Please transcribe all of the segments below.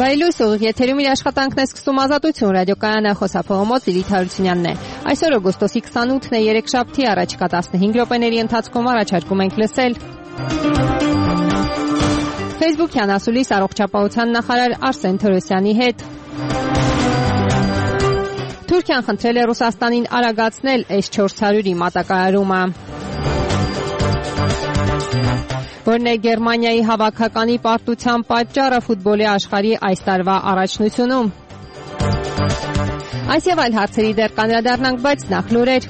Բայլույս ուղիղ եթերում իր աշխատանքն է սկսում Ազատություն ռադիոկայանը, խոսափողոմոց Լիլիթ Հարությունյանն է։ Այսօր օգոստոսի 28-ն է, երեքշաբթի, առաջիկա 15 րոպեների ընթացքում առաջարկում ենք լսել Facebook-յան ասուլիս առողջապահության նախարար Արսեն Թորոսյանի հետ։ Թուրքիան խնդրել է Ռուսաստանին արագացնել S-400-ի մատակարարումը։ Որն է Գերմանիայի հավաքականի պարտության պատճառը ֆուտբոլի աշխարհի այս տարվա առաջնությունում։ Այս եւ այլ հարցերի դեռ կանդրադառնանք, բայց նախ լուրեր։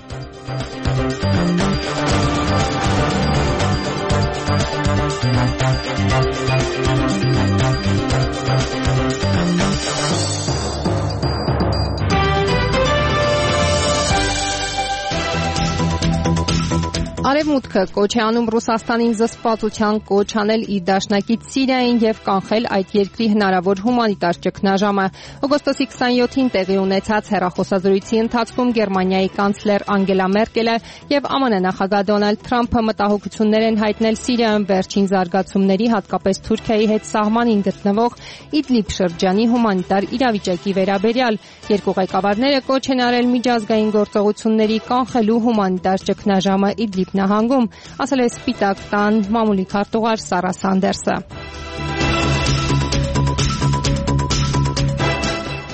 Արևմուտքը կոչ է անում Ռուսաստանին զսպվածության կոչ անել իր դաշնակից Սիրիային եւ կանխել այդ երկրի հնարավոր հումանիտար ճգնաժամը։ Օգոստոսի 27-ին տեղի ունեցած հեռախոսազրույցի ընթացքում Գերմանիայի կանցլեր Անգելա Մերկելը եւ ԱՄՆ նախագահ Դոնալդ Թրամփը մտահոգություններ են հայտնել Սիրիայում վերջին զարգացումների, հատկապես Թուրքիայի հետ սահմանին գտնվող Իդլիբ շրջանի հումանիտար իրավիճակի վերաբերյալ։ Երկու ղեկավարները կոչ են արել միջազգային գործողությունների կանխելու հումանիտար ճգնաժամը Իդլիբ նահանգում, ասել է Սպիտակ տան մամուլի քարտուղար Սարա Սանդերսը։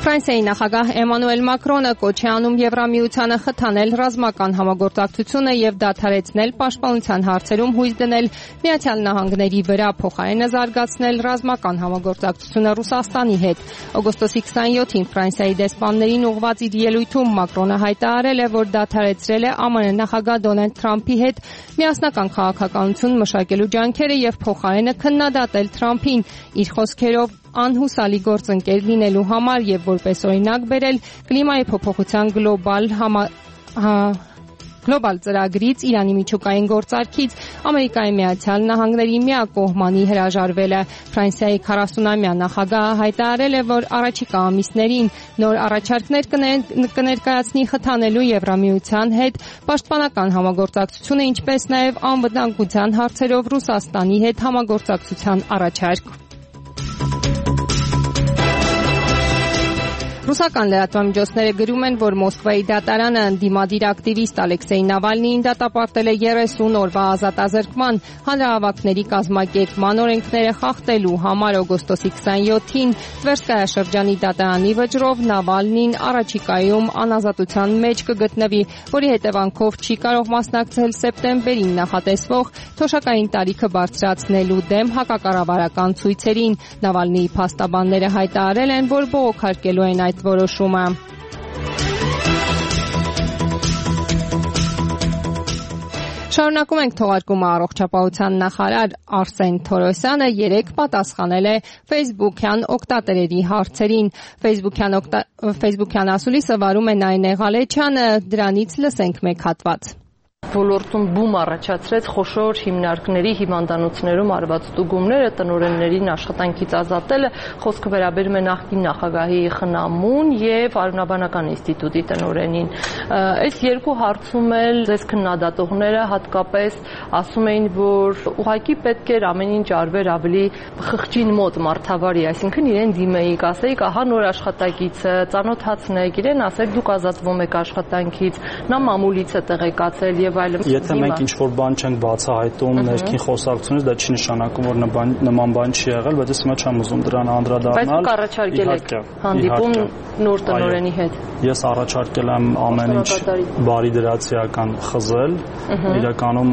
Ֆրանսիայի նախագահ Էմանուել Մակրոնը կոչ է անում Եվրամիությանը խթանել ռազմական համագործակցությունը եւ դադարեցնել պաշտպանության հարցերում հույս դնել Միացյալ Նահանգների վրա, փոխարենը զարգացնել ռազմական համագործակցությունը Ռուսաստանի հետ։ Օգոստոսի 27-ին Ֆրանսիայի դեսպաններին ուղղված իր ելույթում Մակրոնը հայտարարել է, որ դադարեցրել է ԱՄՆ նախագահ Դոնալդ Թրամփի հետ միասնական քաղաքականություն մշակելու ջանքերը եւ փոխարենը քննադատել Թրամփին իր խոսքերով անհուսալի գործընկեր լինելու համար եւ որպես օրինակ բերել կլիմայի փոփոխության գլոբալ ծրագրից Իրանի միջուկային գործարքից Ամերիկայի Միացյալ Նահանգների միակողմանի հրաժարվելը։ Ֆրանսիայի 40-ամյա նախագահը հայտարարել է, որ առաջիկա ամիսներին նոր առաջարկներ կներկայացնի խթանելու Եվրամիության հետ պաշտպանական համագործակցությունը, ինչպես նաև անվտանգության հարցերով Ռուսաստանի հետ համագործակցության առաջարկ։ Ռուսական լրատվամիջոցները գրում են, որ Մոսկվայի դատարանը ընդդիմադիր ակտիվիստ Ալեքսեյ Նավալնիին դատապարտել է 30 օրվա ազատազրկման, հանրահավաքների կազմակերպման օրենքները խախտելու համար։ Օգոստոսի 27-ին Տվերսկայա շրջանի դատարանի վճռով Նավալնին առաջիկայում անազատության մեջ կգտնվի, որի հետևանքով չի կարող մասնակցել սեպտեմբերին նախատեսվող թոշակային տարիքը բարձրացնելու դեմ հակակառավարական ցույցերին։ Նավալնիի փաստաբանները հայտարարել են, որ բողոքարկելու են այդ որոշումը։ Շարունակում ենք թողարկումը առողջապահության նախարար Արսեն Թորոսյանը երեկ պատասխանել է Facebook-յան օգտատերերի հարցերին։ Facebook-յան ասուլիսը վարում է Նայնե Ղալեչյանը, դրանից լսենք մեկ հատված։ Ոլորտում բում առաջացրեց խոշոր հիմնարկների հիվանդանոցներում արված ստուգումները, տնօրեններին աշխատանքից ազատելը, խոսքը վերաբերում է նախկին նախագահի խնամուն եւ Արյունաբանական ինստիտուտի տնօրենին։ Այս երկու հարցում էլ ձեզ քննադատողները հատկապես ասում էին, որ ուղղակի պետք էր ամեն ինչ արվեր ավելի խղճին մոտ մարդավարի, այսինքն իրեն դիմեիք, ասեիք, ահա նոր աշխատակիցը, ծանոթացնեք, իրեն ասեք դուք ազատվում եք աշխատանքից, նա մամուլից է տեղեկացել եւ Եթե մենք ինչ-որ բան չենք բացահայտում ներքին խոսակցությունից, դա չի նշանակում, որ նման բան չի եղել, բայց ես հիմա չեմ ուզում դրան անդրադառնալ։ Բայց դուք առաջարկել եք հանդիպում նոր տնօրենի հետ։ Ես առաջարկել եմ ամեն ինչ բարի դրացիական խզել, իրականում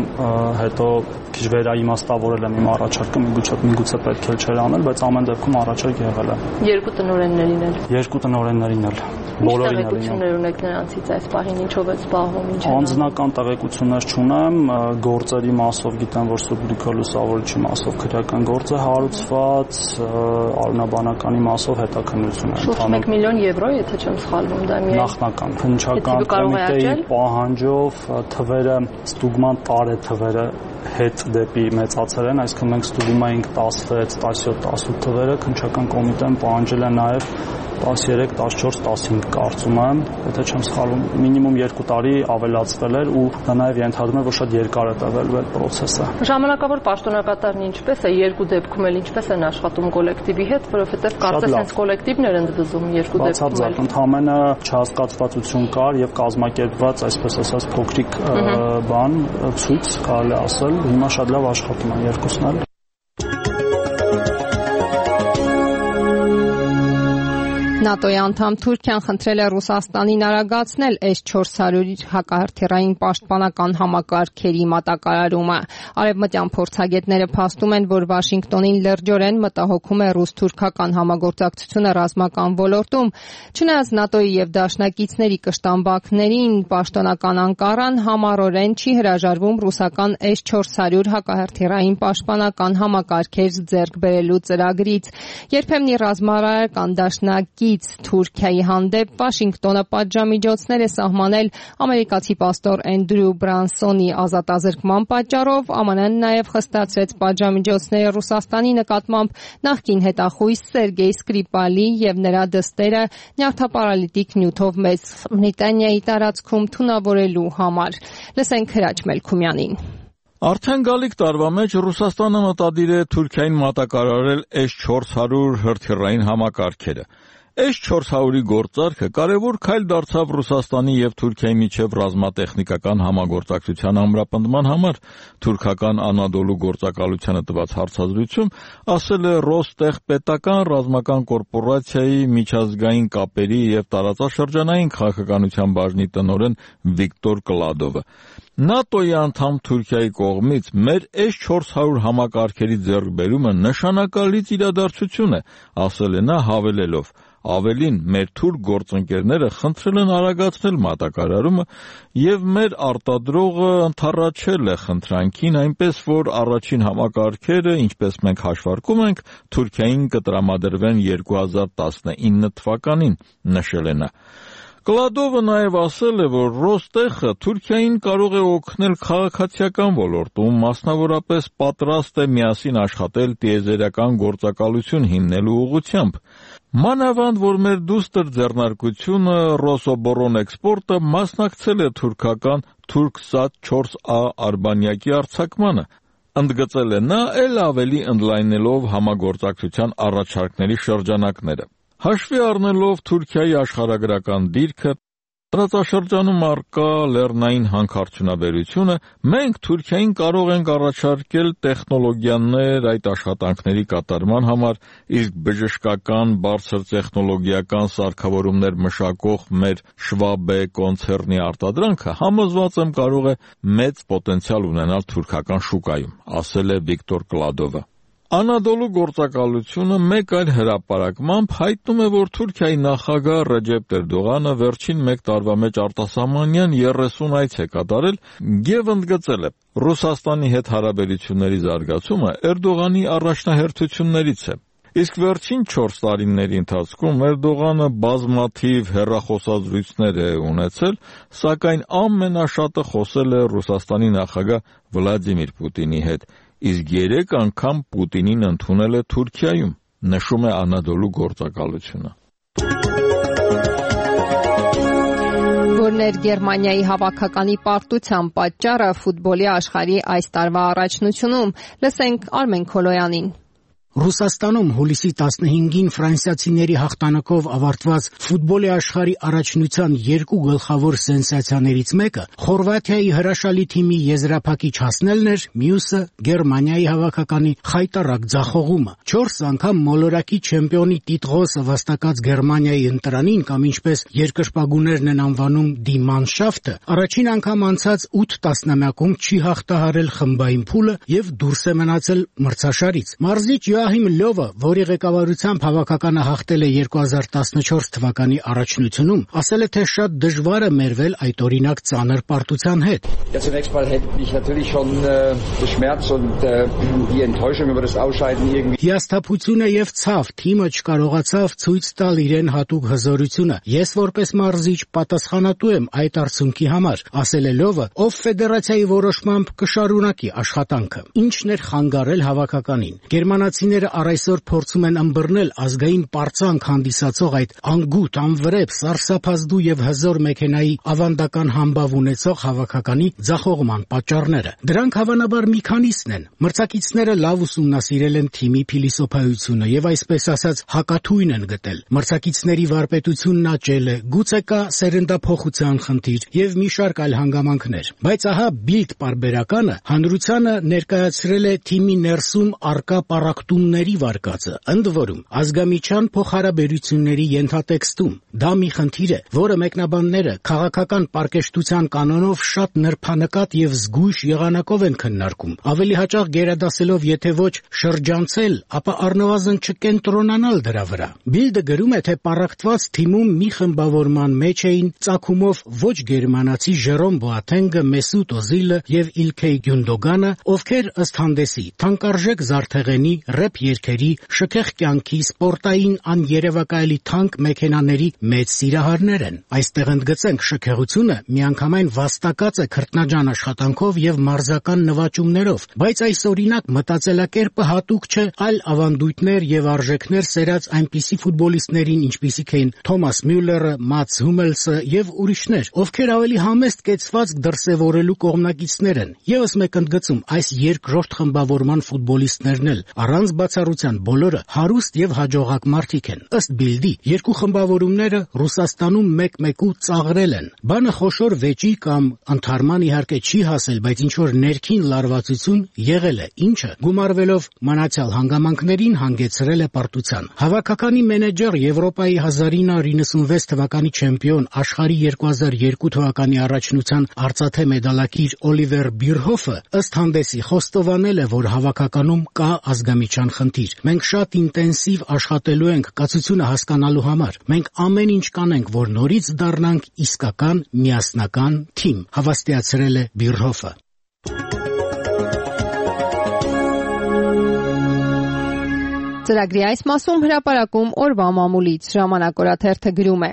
հետո քիչ վերաիմաստավորել եմ իմ առաջարկը, միգուցե պետք է չէր անել, բայց ամեն դեպքում առաջարկ եղել է։ Երկու տնօրեններին էլ։ Երկու տնօրեններին էլ։ Բոլորին էլ։ Տեղեկություններ ունեք նրանցից այս պահին ինչով է զբաղվում, ինչ է։ Անձնական տեղեկություններ չունեմ, գործերի մասով գիտեմ, որ Սուբրիկո լուսավորիչի մասով քրեական գործ է հարուցված, արյունաբանականի մասով հետաքննություն է ընթանում։ 1 միլիոն եվրո, եթե չեմ սխալվում, դա միայն նախնական քննչական կոմիտեի պահանջով թվերը, ստուգման տարեթվերը հետ դեպի մեծացել են, այսինքն մենք ստուգում էինք 16, 17, 18 թվերը, քննչական կոմիտեն պահանջել է նաև 13, 14, 15 կարծում եմ, եթե չեմ սխալվում, մինիմում 2 տարի ավելացվել էր ու դա նաև ենթադրում է, որ շատ երկար է տևել այդ process-ը։ Ժամանակավոր պաշտոնակատարն ինչպես է, երկու դեպքում էլ ինչպես են աշխատում կոլեկտիվի հետ, որովհետև կարծես հենց կոլեկտիվներ են դվզում երկու դեպքում։ Բացարձակ, ընդհանրապես չհասկացվածություն կար եւ կազմակերպված, այսպես ասած, փոքրիկ բան, ցույց կարելի ասել, հիմա շատ լավ աշխատում են երկուսն էլ։ ՆԱՏՕ-ի անդամ Թուրքիան խնդրել է Ռուսաստանին արագացնել S-400 հակահրթիռային պաշտպանական համակարգերի մատակարարումը։ Արևմտյան փորձագետները փաստում են, որ Վաշինգտոնին լրջորեն մտահոգում է ռուս-թուրքական համագործակցությունը ռազմական ոլորտում։ Չնայած ՆԱՏՕ-ի եւ դաշնակիցների կշտամբակներին պաշտոնական Անկարան համառորեն չի հրաժարվում ռուսական S-400 հակահրթիռային պաշտպանական համակարգեր ձեռք բերելու ծրագրից։ Երբեմն ռազմավարական դաշնակից Թուրքիայի հանդեպ Վաշինգտոնը պատժամիջոցներ է սահմանել ամերիկացի պաստոր Էնդրյու Բրանսոնի ազատազրկման պատճառով, ԱՄՆ-ն նաև խստացրեց պատժամիջոցները Ռուսաստանի նկատմամբ նախկին հետախույզ Սերգեյ Սկրիպալի եւ նրա դստերը նյարդապարալիտիկ նյութով Մեծ Բրիտանիայի տարածքում թունավորելու համար։ Լսենք Հրաչ Մելքումյանին։ Արդեն գալիք տարվա մեջ Ռուսաստանը մտադիր է Թուրքիային մատակարարել S-400 հրթիռային համակարգերը։ S-400-ի գործարքը կարևոր քայլ դարձավ Ռուսաստանի եւ Թուրքիայի միջև ռազմատեխնիկական համագործակցության ամրապնդման համար։ Թուրքական Անադոլու գործակալությանը տված հարցազրույցում ասել է Ռոստեխ պետական ռազմական կորպորացիայի միջազգային կապերի եւ տարածաշրջանային քաղաքականության բաժնի տնօրեն Վիկտոր Կլադովը։ ՆԱՏՕ-ի անդամ Թուրքիայի կողմից մեր S-400 համակարգերի ձեռքբերումը նշանակալից իրադարձություն է, ասել է նա հավելելով. Ավելին, մեր թուրք գործընկերները խնդրել են արագացնել մատակարարումը եւ մեր արտադրողը ընդառաջել է խնդրանքին, այնպես որ առաջին համակարգերը, ինչպես մենք հաշվարկում ենք, Թուրքիային կտրամադրվեն 2019 թվականին, նշել է նա։ Կլադովը նաև ասել է, որ Ռոստեխը Թուրքիային կարող է օգնել քաղաքացիական ոլորտում, մասնավորապես պատրաստ է միասին աշխատել տիեզերական գործակալություն հիմնելու ուղղությամբ։ Մանավանդ, որ մեր դուստր ձեռնարկությունը Ռոսոբորոնեքսպորտը մասնակցել է թուրքական Թուրքսատ 4A արբանյակի արձակմանը, ընդգծել է նա, էլ ավելի ընդլայնելով համագործակցության առաջարկների շրջանակները։ Հաշվի առնելով Թուրքիայի աշխարհագրական դիրքը, տարածաշրջանում առկա լեռնային հանքարդյունաբերությունը, մենք Թուրքիային կարող ենք առաջարկել տեխնոլոգիաներ այդ աշխատանքների կատարման համար, իսկ բժշկական բարձր տեխնոլոգիական սարքավորումներ մշակող մեր Շվաբե կոնցեռնի արտադրանքը համոզված եմ կարող է մեծ պոտենցիալ ունենալ թուրքական շուկայում, ասել է Վիկտոր Կլադովը։ Անադոլու գործակալությունը մեկ այլ հրապարակմամբ հայտնում է, որ Թուրքիայի նախագահ Ռեջեփ Էրդողանը վերջին 1 տարվա մեջ արտասահմանյան 30 այց է կատարել եւ ընդգծել է. Ռուսաստանի հետ հարաբերությունների զարգացումը Էրդողանի առաջնահերթություններից է։ Իսկ վերջին 4 տարիների ընթացքում Էրդողանը բազմաթիվ հեռախոսազրույցներ է ունեցել, սակայն ամենաշատը խոսել է Ռուսաստանի նախագահ Վլադիմիր Պուտինի հետ, իսկ 3 անգամ Պուտինին ընդունել է Թուրքիայում, նշում է Անադոլու գործակալությունը։ Որն էր Գերմանիայի հավաքականի պարտության պատճառը ֆուտբոլի աշխարհի այս տարվա առաջնությունում, լսենք Արմեն Քոլոյանին։ Ռուսաստանում հուլիսի 15-ին ֆրանսիացիների հաղթանակով ավարտված ֆուտբոլի աշխարհի առաջնության 2 գլխավոր սենսացիաներից մեկը Խորվաթիայի հրաշալի թիմի եզրափակիչ հասնելն էր, մյուսը Գերմանիայի հավաքականի խայտառակ ձախողումը։ 4 անգամ մոլորակի չեմպիոնի տիտղոսը վաստակած Գերմանիայի ընտրանին, կամ ինչպես երկրպագուներն են անվանում Die Mannschaft-ը, առաջին անգամ անցած 8 տասնամյակում չի հաղթահարել խմբային փուլը եւ դուրս է մնացել մրցաշարից։ Մարզիչ Յոահիմ Լյովը, որի ղեկավարությամբ հավաքականը հաղթել է 2014 թվականի առաջնությունում, ասել է, թե շատ դժվար է մերվել այդ օրինակ ծանր պարտության հետ։ Հիասթափությունը եւ ցավ, թիմը չկարողացավ ցույց տալ իրեն հատուկ հզորությունը։ Ես որպես մարզիչ պատասխանատու եմ այդ արդյունքի համար, ասել է Լյովը, ով ֆեդերացիայի որոշմամբ կշարունակի աշխատանքը։ Ինչն էր խանգարել հավաքականին։ Գերմանացիները ֆրանսիացիները առայսօր փորձում են ըմբռնել ազգային պարծանք հանդիսացող այդ անգութ, անվրեպ, սարսափազդու եւ հզոր մեքենայի ավանդական համբավ ունեցող հավաքականի ձախողման պատճառները։ Դրանք հավանաբար մի քանիսն են։ Մրցակիցները լավ ուսումնասիրել են թիմի փիլիսոփայությունը եւ այսպես ասած հակաթույն են գտել։ Մրցակիցների վարպետությունն աճել է, գուցե կա սերնդափոխության խնդիր եւ մի շարք այլ հանգամանքներ։ Բայց ահա Bild պարբերականը հանրությանը ներկայացրել է թիմի ներսում առկա պառակտումների վարկածը, ընդ որում ազգամիչյան փոխհարաբերությունների ենթատեքստում։ Դա մի խնդիր է, որը մեկնաբանները քաղաքական պարկեշտության կանոնով շատ նրբանկատ եւ զգույշ եղանակով են քննարկում։ Ավելի հաճախ գերադասելով եթե ոչ շրջանցել, ապա առնվազն չկենտրոնանալ դրա վրա։ Bild-ը գրում է, թե պառակտված թիմում մի խմբավորման մեջ էին ծագումով ոչ գերմանացի Ժերոմ Բոաթենգը, Մեսուտ Օզիլը եւ Իլքեյ Գյունդոգանը, ովքեր ըստ հանդեսի թանկարժեք զարդեղենի, ռեփ երգերի, շքեղ կյանքի, սպորտային աներևակայելի թանկ մեքենաների մեծ սիրահարներ են։ Այստեղ ընդգծենք շքեղությունը միանգամայն վաստակած է քրտնաջան աշխատանքով եւ մարզական նվաճումներով, բայց այս օրինակ մտածելակերպը հատուկ չէ այլ ավանդույթներ եւ արժեքներ սերած այնպիսի ֆուտբոլիստներին, ինչպիսիք էին Թոմաս Մյուլլերը, Մատս Հումելսը եւ ուրիշներ, ովքեր ավելի համեստ կեցվածք դրսևորելու կողմնակիցներ են։ Եվս մեկ ընդգծում, այս երկրորդ խմբավորման ֆուտբոլիստներն էլ առանց բացառության բոլորը հարուստ եւ հաջողակ մարդիկ են։ Ըստ Bild-ի, երկու խմբավորումները Ռուսաստանում մեկ-մեկու ծաղրել են։ Բանը խոշոր վեճի կամ ընդհարման իհարկե չի հասել, բայց ինչ որ ներքին լարվածություն եղել է, ինչը գումարվելով մնացյալ հանգամանքներին հանգեցրել է պարտության։ Հավաքականի մենեջեր Եվրոպայի 1996 թվականի չեմպիոն, աշխարհի 2002 թվականի առաջնության արծաթե մեդալակիր Օլիվեր Բիրհոֆը ըստ հանդեսի խոստովանել է, որ հավաքականում կա ազգամիչյան խնդիր։ Մենք շատ ինտենսիվ աշխատելու ենք կացությունը հասկանալու համար։ Մենք ամեն ինչ կանենք, որ նորից դառնանք իսկական միասնական թիմ, հավաստիացրել է Բիրհոֆը։ Ծրագրի այս մասում հրապարակում օրվա մամուլից ժամանակ օրաթերթը գրում է.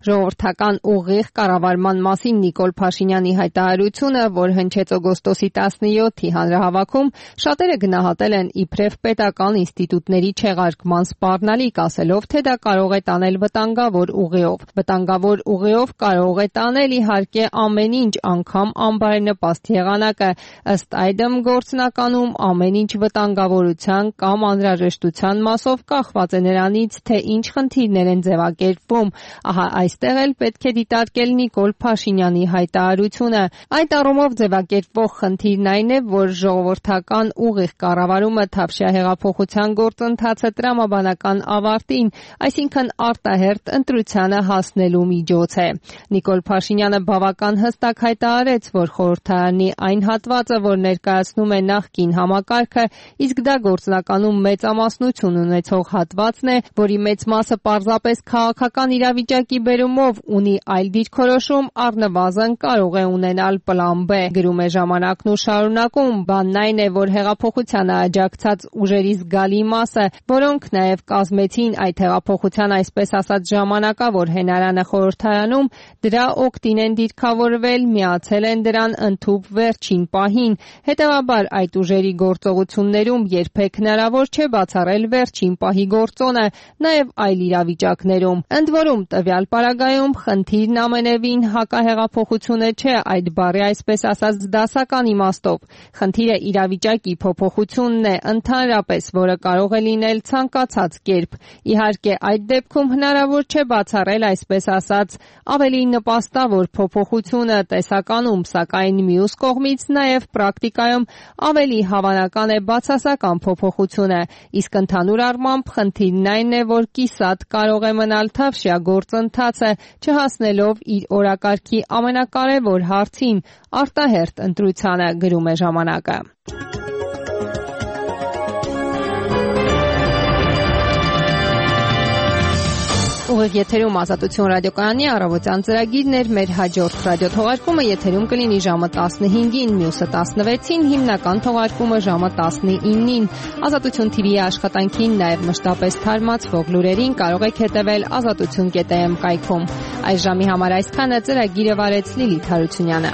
ժողովրդական ուղիղ կառավարման մասին Նիկոլ Փաշինյանի հայտարարությունը, որ հնչեց օգոստոսի 17-ի հանրահավաքում, շատերը գնահատել են իբրև պետական ինստիտուտների չեղարկման սպառնալիք, ասելով, թե դա կարող է տանել վտանգավոր ուղիով։ Վտանգավոր ուղիով կարող է տանել իհարկե ամեն ինչ, անգամ անբարենպաստ եղանակը, ըստ այդմ գործնականում ամեն ինչ վտանգավորության կամ անհրաժեշտության մասով կախված է նրանից, թե ինչ խնդիրներ են ձևակերպվում։ Ահա այստեղ էլ պետք է դիտարկել Նիկոլ Փաշինյանի հայտարարությունը։ Այդ առումով ձևակերպվող խնդիրն այն է, որ ժողովրդական ուղիղ կառավարումը Թավշյա հեղափոխության գործընթացը տրամաբանական ավարտին, այսինքն արտահերթ ընտրությանը հասնելու միջոց է։ Նիկոլ Փաշինյանը բավական հստակ հայտարարեց, որ խորհրդարանի այն հատվածը, որ ներկայացնում է նախկին համակարգը, իսկ դա գործնականում մեծամասնություն ունեցող հատվածն է, որի մեծ մասը պարզապես քաղաքական իրավիճակի բերումով ունի այլ դիրքորոշում, առնվազն կարող է ունենալ պլան B, գրում է ժամանակն ու շարունակում։ Բանն այն է, որ հեղափոխությանը աջակցած ուժերի զգալի մասը, որոնք նաև կազմեցին այդ հեղափոխության այսպես ասած ժամանակավոր հենարանը խորհրդարանում, դրա օգտին են դիրքավորվել, միացել են դրան ընդհուպ վերջին պահին։ Հետևաբար այդ ուժերի գործողություններում երբեք հնարավոր չէ բացառել վերջին պահի գործոնը, նաև այլ իրավիճակներում։ Ընդ որում, տվյալ պարագայում խնդիրն ամենևին հակահեղափոխությունը չէ այդ բառի այսպես ասած դասական իմաստով։ Խնդիրը իրավիճակի փոփոխությունն է ընդհանրապես, որը կարող է լինել ցանկացած կերպ։ Իհարկե, այդ դեպքում հնարավոր չէ բացառել այսպես ասած ավելի նպաստավոր փոփոխությունը տեսականում, սակայն մյուս կողմից նաև պրակտիկայում ավելի հավանական է բացասական փոփոխությունը, իսկ ընդհանուր առմամբ խնդիրն այն է, որ կիսատ կարող է մնալ Թավշյա գործընթացը, չհասնելով իր օրակարգի ամենակարևոր հարցին՝ արտահերթ ընտրությանը, գրում է ժամանակը։ Ուղիղ եթերում Ազատություն ռադիոկայանի առավոտյան ծրագիրն էր, մեր հաջորդ ռադիոթողարկումը եթերում կլինի ժամը 15-ին, մյուսը 16-ին, հիմնական թողարկումը ժամը 19-ին։ Ազատություն TV-ի աշխատանքին, նաև մշտապես թարմացվող լուրերին կարող եք հետևել azatutun.am կայքում։ Այս ժամի համար այսքանը, ծրագիրը վարեց Լիլիթ Հարությունյանը։